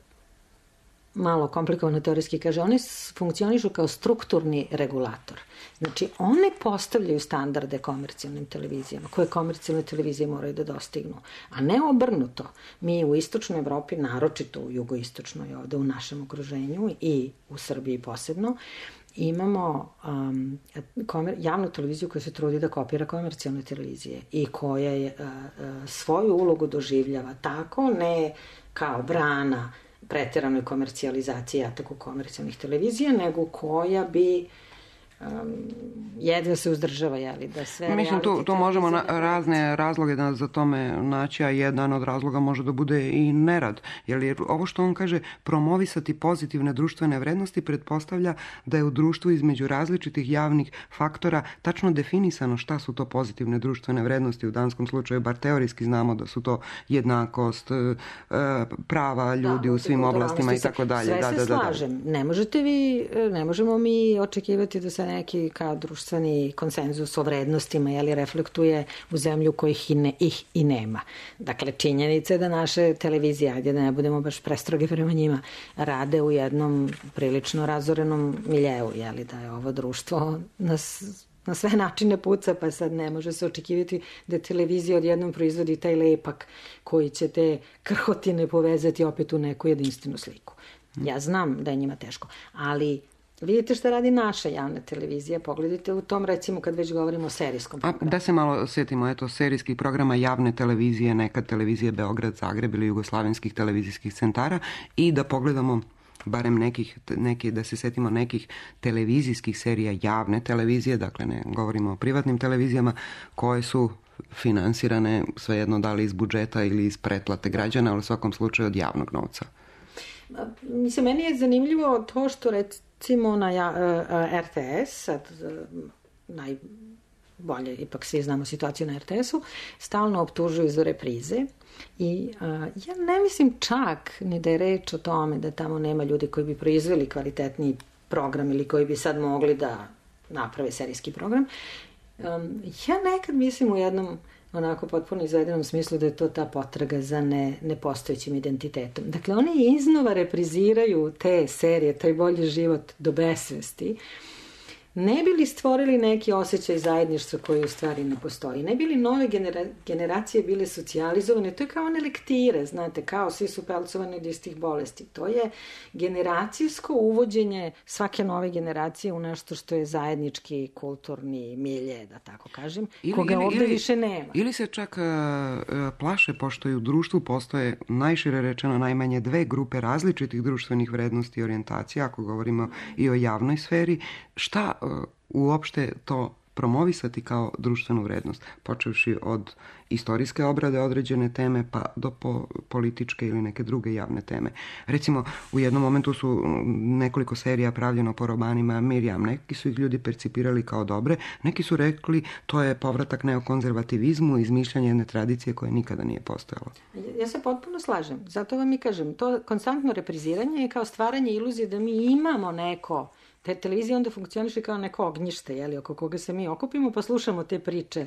malo komplikovano teorijski kaže, one funkcionišu kao strukturni regulator. Znači, one postavljaju standarde komercijalnim televizijama, koje komercijalne televizije moraju da dostignu, a ne obrnuto. Mi u istočnoj Evropi, naročito u jugoistočnoj ovde u našem okruženju i u Srbiji posebno, imamo um, komer, javnu televiziju koja se trudi da kopira komercijalne televizije i koja je, uh, uh, svoju ulogu doživljava tako, ne kao brana preteranoj komercijalizaciji ataku komercijalnih televizija, nego koja bi um, jedva se uzdržava, jeli, da sve... Mislim, tu, tu možemo na, razne razloge da za tome naći, a jedan od razloga može da bude i nerad. Jer ovo što on kaže, promovisati pozitivne društvene vrednosti, pretpostavlja da je u društvu između različitih javnih faktora tačno definisano šta su to pozitivne društvene vrednosti. U danskom slučaju, bar teorijski znamo da su to jednakost, prava ljudi da, u svim oblastima i tako dalje. Sve da, se da, da, slažem. Da. Ne možete vi, ne možemo mi očekivati da se neki kao društveni konsenzus o vrednostima, jeli, reflektuje u zemlju kojih i ne, ih i nema. Dakle, činjenica je da naše televizije, ajde da ne budemo baš prestroge prema njima, rade u jednom prilično razorenom miljeu, jeli, da je ovo društvo nas na sve načine puca, pa sad ne može se očekivati da televizija odjednom proizvodi taj lepak koji će te krhotine povezati opet u neku jedinstvenu sliku. Ja znam da je njima teško, ali vidite šta radi naša javna televizija, pogledajte u tom, recimo, kad već govorimo o serijskom programu. A da se malo sjetimo, eto, serijskih programa javne televizije, nekad televizije Beograd, Zagreb ili jugoslavenskih televizijskih centara i da pogledamo barem nekih, neki, da se setimo nekih televizijskih serija javne televizije, dakle ne govorimo o privatnim televizijama, koje su finansirane svejedno da li iz budžeta ili iz pretplate građana, ali u svakom slučaju od javnog novca. Mislim, meni je zanimljivo to što recimo na R T S, sad naj bolje, ipak svi znamo situaciju na er te esu, stalno optužuju za reprize. I uh, ja ne mislim čak ni da je reč o tome da tamo nema ljudi koji bi proizveli kvalitetniji program ili koji bi sad mogli da naprave serijski program. Um, ja nekad mislim u jednom onako potpuno izvedenom smislu da je to ta potraga za ne, nepostojećim identitetom. Dakle, oni iznova repriziraju te serije, taj bolji život do besvesti, ne bi li stvorili neki osjećaj zajedništva koji u stvari ne postoji? Ne bi li nove genera- generacije bile socijalizovane? To je kao one lektire, znate, kao svi su pelcovani od istih bolesti. To je generacijsko uvođenje svake nove generacije u nešto što je zajednički kulturni milje, da tako kažem, ili, koga ili, ovde ili, više nema. Ili se čak uh, plaše, pošto i u društvu postoje najšire rečeno najmanje dve grupe različitih društvenih vrednosti i orijentacija, ako govorimo i o javnoj sferi, šta uopšte to promovisati kao društvenu vrednost, počevši od istorijske obrade određene teme pa do po političke ili neke druge javne teme. Recimo, u jednom momentu su nekoliko serija pravljeno po romanima Mirjam. Neki su ih ljudi percipirali kao dobre, neki su rekli to je povratak neokonzervativizmu, izmišljanje jedne tradicije koja nikada nije postojala. Ja se potpuno slažem. Zato vam i kažem, to konstantno repriziranje je kao stvaranje iluzije da mi imamo neko. Te televizije onda funkcioniše kao neko ognjište, jeli, oko koga se mi okupimo, pa slušamo te priče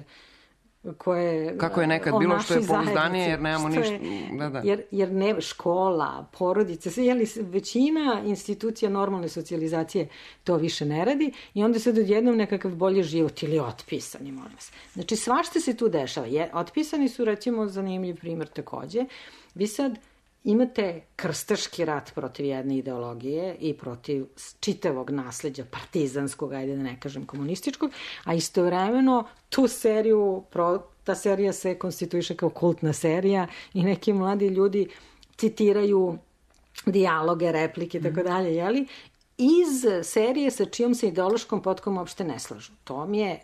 koje... Kako je nekad bilo što je pouzdanije, jer nemamo ništa... Da, da. Jer, jer ne, škola, porodice, sve, jeli, većina institucija normalne socijalizacije to više ne radi i onda se odjednom nekakav bolji život ili otpisani, molim vas. Znači, svašta se tu dešava. Je, otpisani su, recimo, zanimljiv primjer takođe. Vi sad imate krstaški rat protiv jedne ideologije i protiv čitavog nasleđa partizanskog, ajde da ne kažem komunističkog, a istovremeno tu seriju, ta serija se konstituiše kao kultna serija i neki mladi ljudi citiraju dijaloge, replike i tako dalje, jeli? Iz serije sa čijom se ideološkom potkom uopšte ne slažu. To mi je,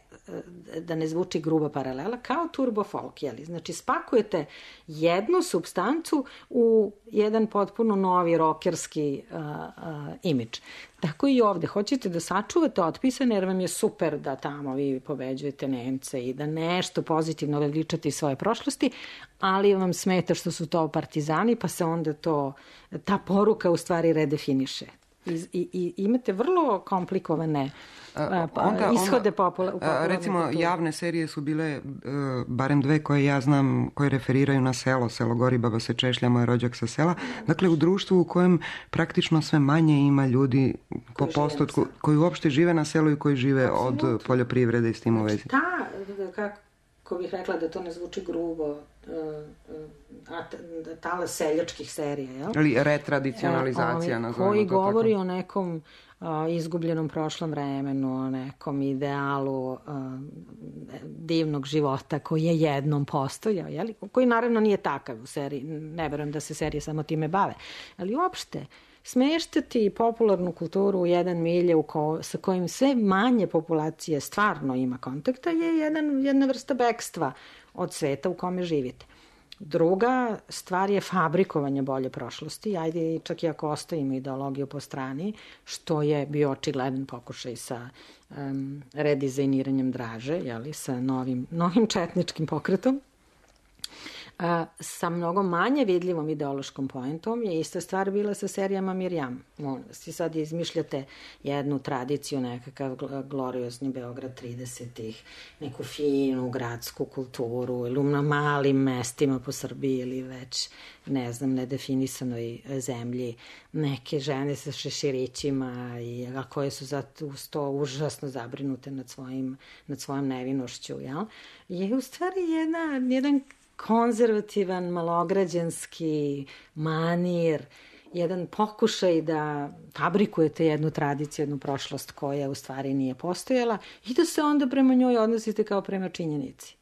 da ne zvuči gruba paralela, kao turbo folk, jeli? Znači, spakujete jednu supstancu u jedan potpuno novi rokerski uh, uh, imidž. Tako i ovde. Hoćete da sačuvate otpisane, jer vam je super da tamo vi pobeđujete Nemce i da nešto pozitivno veličate iz svoje prošlosti, ali vam smeta što su to partizani, pa se onda to, ta poruka u stvari redefiniše. I, i, i imate vrlo komplikovane a, onda, ishode popula, popularne recimo kulture. Javne serije su bile uh, barem dve koje ja znam, koje referiraju na selo, selo gori, baba se češlja, moj rođak sa sela, dakle u društvu u kojem praktično sve manje ima ljudi po postotku koji uopšte žive na selu i koji žive Absolutno. Od poljoprivrede i s tim u vezi. Ta, kako bih rekla da to ne zvuči grubo, a tala seljačkih serija, jel? Ali retradicionalizacija, nazovimo to tako. Koji govori o nekom a, izgubljenom prošlom vremenu, o nekom idealu a, divnog života koji je jednom postojao, jel? Koji naravno nije takav u seriji, ne verujem da se serije samo time bave, ali uopšte smeštati popularnu kulturu u jedan milje u ko, sa kojim sve manje populacije stvarno ima kontakta je jedan, jedna vrsta bekstva od sveta u kome živite. Druga stvar je fabrikovanje bolje prošlosti, ajde čak i ako ostavimo ideologiju po strani, što je bio očigledan pokušaj sa um, redizajniranjem Draže, jeli, sa novim, novim četničkim pokretom. A, sa mnogo manje vidljivom ideološkom poentom je ista stvar bila sa serijama Mirjam. Molim vas, i sad izmišljate jednu tradiciju, nekakav gloriozni Beograd tridesetih, neku finu gradsku kulturu ili na malim mestima po Srbiji ili već, ne znam, nedefinisanoj zemlji, neke žene sa šeširićima i a koje su zato uz to užasno zabrinute nad svojim, nad svojom nevinošću, jel? Je u stvari jedna, jedan konzervativan, malograđanski manir, jedan pokušaj da fabrikujete jednu tradiciju, jednu prošlost koja u stvari nije postojala i da se onda prema njoj odnosite kao prema činjenici.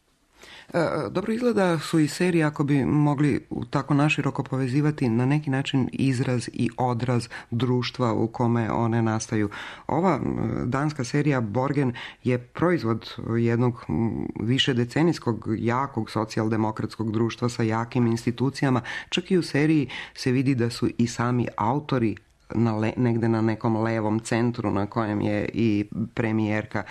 Dobro izgleda su i serije, ako bi mogli tako naširoko povezivati, na neki način izraz i odraz društva u kome one nastaju. Ova danska serija Borgen je proizvod jednog višedecenijskog, jakog socijaldemokratskog društva sa jakim institucijama. Čak i u seriji se vidi da su i sami autori na le, negde na nekom levom centru na kojem je i premijerka.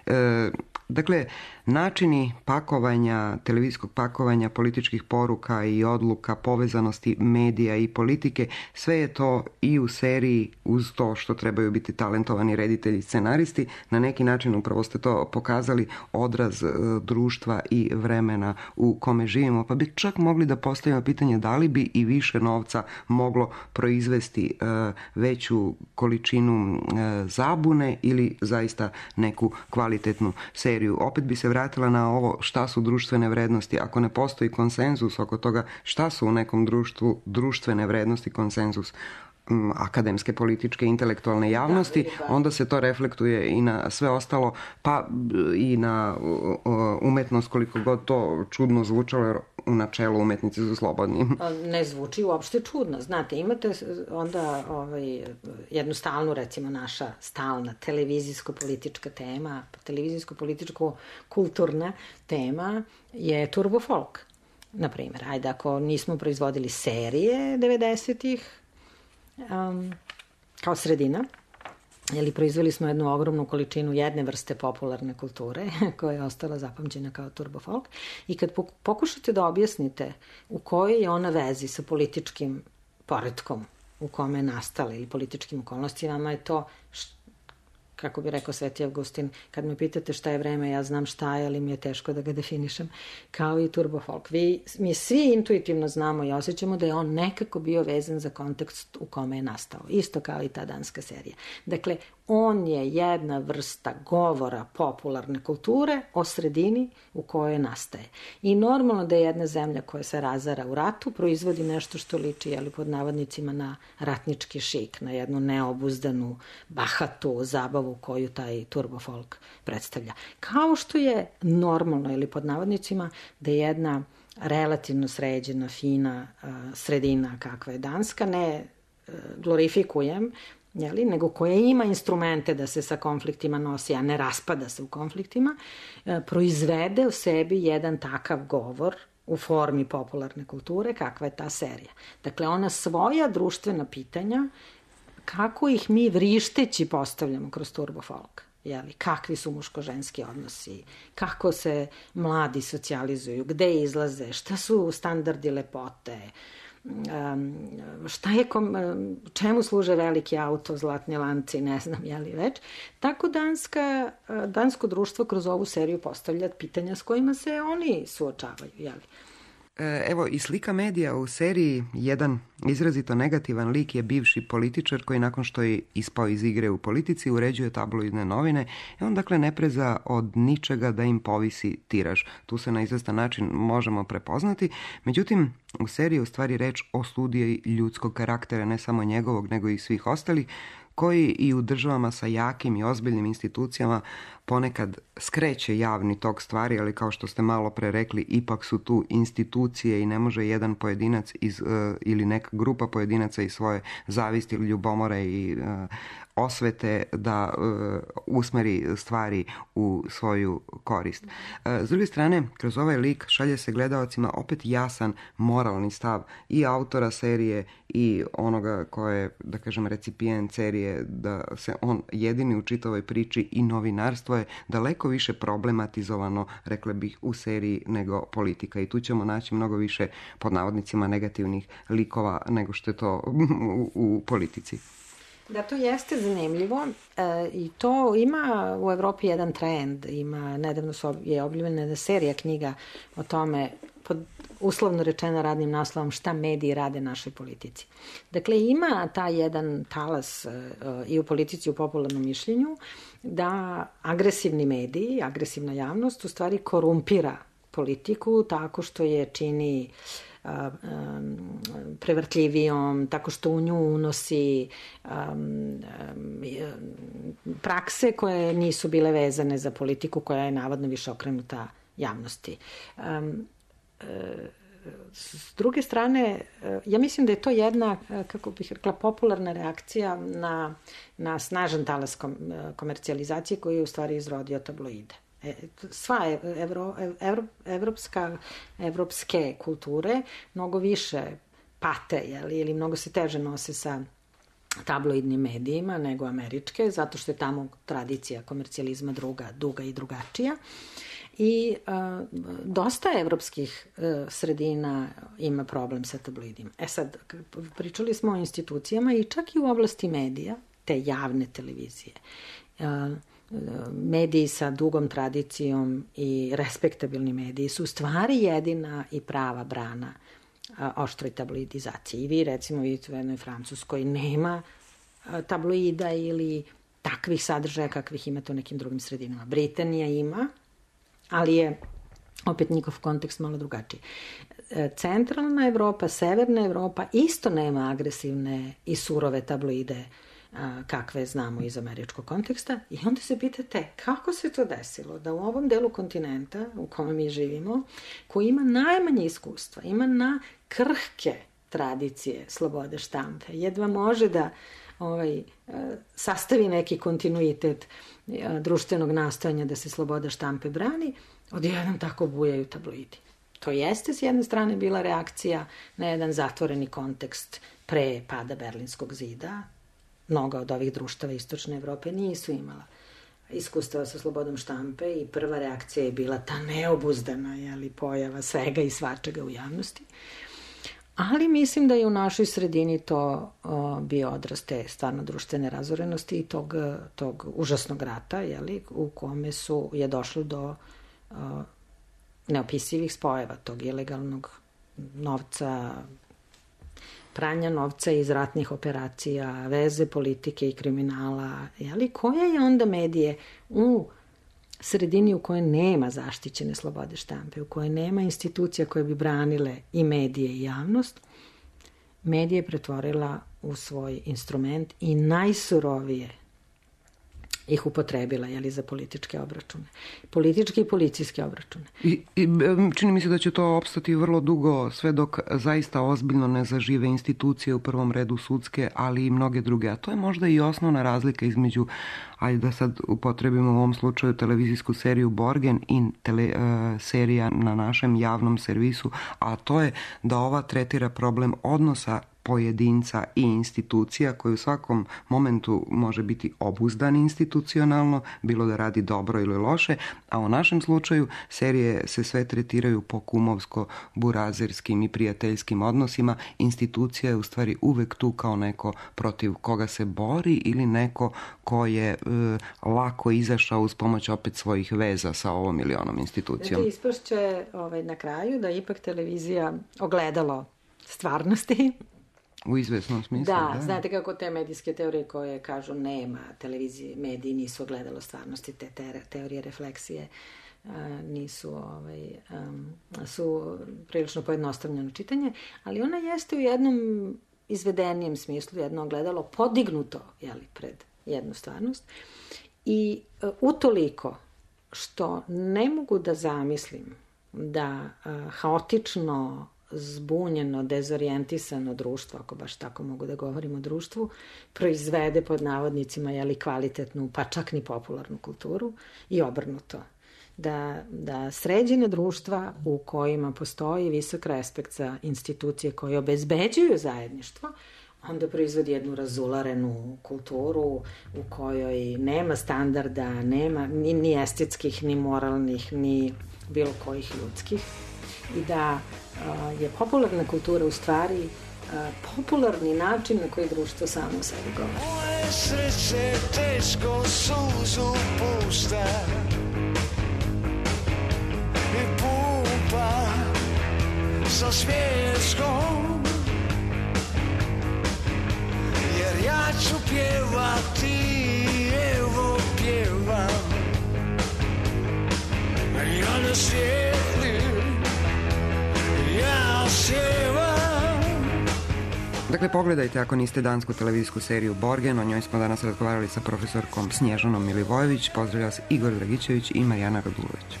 E, Dakle, načini pakovanja, televizijskog pakovanja, političkih poruka i odluka, povezanosti medija i politike, sve je to i u seriji, uz to što trebaju biti talentovani reditelji i scenaristi, na neki način upravo ste to pokazali, odraz društva i vremena u kome živimo. Pa bi čak mogli da postavimo pitanje da li bi i više novca moglo proizvesti veću količinu zabune ili zaista neku kvalitetnu seriju. Opet bi se vratila na ovo šta su društvene vrednosti. Ako ne postoji konsenzus oko toga šta su u nekom društvu društvene vrednosti, konsenzus akademske, političke, intelektualne javnosti, onda se to reflektuje i na sve ostalo, pa i na umetnost, koliko god to čudno zvučalo, jer u načelu umetnici su slobodni. Ne zvuči uopšte čudno. Znate, imate onda ovaj, jednu stalnu, recimo naša stalna televizijsko-politička tema, televizijsko-političko-kulturna tema je turbo folk. Naprimjer, ajde, ako nismo proizvodili serije devedesetih, Um, kao sredina, ili proizveli smo jednu ogromnu količinu jedne vrste popularne kulture koja je ostala zapamćena kao turbo folk, i kad pokušate da objasnite u kojoj je ona vezi sa političkim poretkom u kome je nastala ili političkim okolnostima, je to, kako bi rekao Sveti Avgustin, kad me pitate šta je vreme, ja znam šta je, ali mi je teško da ga definišem, kao i turbo folk. Vi, mi svi intuitivno znamo i osjećamo da je on nekako bio vezan za kontekst u kome je nastao. Isto kao i ta danska serija. Dakle, on je jedna vrsta govora popularne kulture o sredini u kojoj nastaje. I normalno da je jedna zemlja koja se razara u ratu proizvodi nešto što liči, jeli, pod navodnicima, na ratnički šik, na jednu neobuzdanu, bahatu zabavu koju taj turbo folk predstavlja. Kao što je normalno, ili pod navodnicima, da je jedna relativno sređena, fina uh, sredina kakva je Danska, ne uh, glorifikujem, jeli, nego koja ima instrumente da se sa konfliktima nosi, a ne raspada se u konfliktima, uh, proizvede u sebi jedan takav govor u formi popularne kulture kakva je ta serija. Dakle, ona svoja društvena pitanja, kako ih mi vrišteći postavljamo kroz turbo folk. Jeli, kakvi su muško-ženski odnosi, kako se mladi socijalizuju, gde izlaze, šta su standardi lepote, um, šta je kom, čemu služe veliki auto, zlatni lanci, ne znam, jeli već. Tako danska, dansko društvo kroz ovu seriju postavlja pitanja s kojima se oni suočavaju, jeli. Evo, i slika medija u seriji, jedan izrazito negativan lik je bivši političar koji nakon što je ispao iz igre u politici uređuje tabloidne novine i on dakle ne preza od ničega da im povisi tiraž. Tu se na izvestan način možemo prepoznati. Međutim, u seriji je u stvari reč o studiji ljudskog karaktera, ne samo njegovog nego i svih ostalih, koji i u državama sa jakim i ozbiljnim institucijama ponekad skreće javni tok stvari, ali kao što ste malo pre rekli, ipak su tu institucije i ne može jedan pojedinac iz, uh, ili neka grupa pojedinaca iz svoje zavisti ili ljubomore i uh, osvete da uh, usmeri stvari u svoju korist. Uh, s druge strane, kroz ovaj lik šalje se gledaocima opet jasan moralni stav i autora serije i onoga ko je, da kažem, recipijent serije, da se on jedini u čitavoj priči, i novinarstvo je daleko više problematizovano, rekla bih, u seriji nego politika. I tu ćemo naći mnogo više, pod navodnicima, negativnih likova nego što je to u, u politici. Da, to jeste zanimljivo e, i to ima u Evropi jedan trend. Ima, nedavno su, je objavljena jedna serija knjiga o tome, pod uslovno rečeno radnim naslovom, šta mediji rade našoj politici. Dakle, ima taj jedan talas e, i u politici i u popularnom mišljenju da agresivni mediji, agresivna javnost u stvari korumpira politiku tako što je čini prevrtljivijom, tako što u nju unosi um, um, prakse koje nisu bile vezane za politiku, koja je navodno više okrenuta javnosti. Um, s druge strane, ja mislim da je to jedna, kako bih rekla, popularna reakcija na, na snažan talas komercijalizacije koji je u stvari izrodio tabloide. Sva evro, evro, evropska, evropske kulture mnogo više pate, jeli, ili mnogo se teže nose sa tabloidnim medijima nego američke, zato što je tamo tradicija komercijalizma druga, duga i drugačija. I a, dosta evropskih a, sredina ima problem sa tabloidima. E sad, pričali smo o institucijama i čak i u oblasti medija, te javne televizije. A, mediji sa dugom tradicijom i respektabilni mediji su stvari jedina i prava brana a, oštroj tabloidizaciji. I vi, recimo, vidite u jednoj Francuskoj nema a, tabloida ili takvih sadržaja kakvih imate u nekim drugim sredinama. Britanija ima, ali je opet njihov kontekst malo drugačiji. Centralna Evropa, severna Evropa isto nema agresivne i surove tabloide kakve znamo iz američkog konteksta i onda se pitate kako se to desilo da u ovom delu kontinenta u kome mi živimo, koji ima najmanje iskustva, ima na krhke tradicije slobode štampe, jedva može da ovaj, sastavi neki kontinuitet društvenog nastojanja da se sloboda štampe brani, odjednom tako bujaju tabloidi. To jeste s jedne strane bila reakcija na jedan zatvoreni kontekst pre pada Berlinskog zida. Mnoga od ovih društava Istočne Evrope nisu imala iskustva sa slobodom štampe i prva reakcija je bila ta neobuzdana jeli, pojava svega i svačega u javnosti. Ali mislim da je u našoj sredini to o, bio odraz te stvarno društvene razorenosti i tog, tog užasnog rata, jeli, u kome su, je došlo do o, neopisivih spojeva tog ilegalnog novca, pranja novca iz ratnih operacija, veze politike i kriminala, jeli, koja je onda medije u sredini u kojoj nema zaštićene slobode štampe, u kojoj nema institucija koje bi branile i medije i javnost, medije pretvorila u svoj instrument i najsurovije ih upotrebila, jeli, za političke obračune. Političke i policijske obračune. I, i čini mi se da će to opstati vrlo dugo, sve dok zaista ozbiljno ne zažive institucije, u prvom redu sudske, ali i mnoge druge. A to je možda i osnovna razlika između, ajde da sad upotrebimo u ovom slučaju televizijsku seriju Borgen i tele, uh, serija na našem javnom servisu, a to je da ova tretira problem odnosa pojedinca i institucija koji u svakom momentu može biti obuzdan institucionalno, bilo da radi dobro ili loše, a u našem slučaju serije se sve tretiraju po kumovsko-burazerskim i prijateljskim odnosima. Institucija je u stvari uvek tu kao neko protiv koga se bori ili neko ko je e, lako izašao uz pomoć opet svojih veza sa ovom ili onom institucijom. Znači, ispašće ovaj, na kraju da ipak televizija ogledalo stvarnosti. U izvesnom smislu, da. Da, znate kako te medijske teorije koje kažu nema televizije, mediji nisu ogledalo stvarnosti, te, te teorije refleksije a, nisu, ovaj, um, su prilično pojednostavljeno čitanje, ali ona jeste u jednom izvedenijem smislu, jedno ogledalo podignuto, jeli, pred jednu stvarnost i uh, utoliko što ne mogu da zamislim da uh, haotično zbunjeno, dezorijentisano društvo, ako baš tako mogu da govorim o društvu, proizvede pod navodnicima jeli, kvalitetnu, pa čak ni popularnu kulturu i obrnuto. Da, da sređene društva u kojima postoji visok respekt za institucije koje obezbeđuju zajedništvo, onda proizvodi jednu razularenu kulturu u kojoj nema standarda, nema ni, ni estetskih, ni moralnih, ni bilo kojih ljudskih. I da uh, je popularna kultura u stvari uh, popularni način na koji društvo samo o sebi govori. Moje srce teško suzu pušta i pumpa sa smješkom, jer ja ću pjevati, evo pjevam, ja ne sjedim. Dakle, pogledajte ako niste dansku televizijsku seriju Borgen, o njoj smo danas razgovarali sa profesorkom Snježanom Milivojević. Pozdravlja vas Igor Dragičević i Marijana Radulović.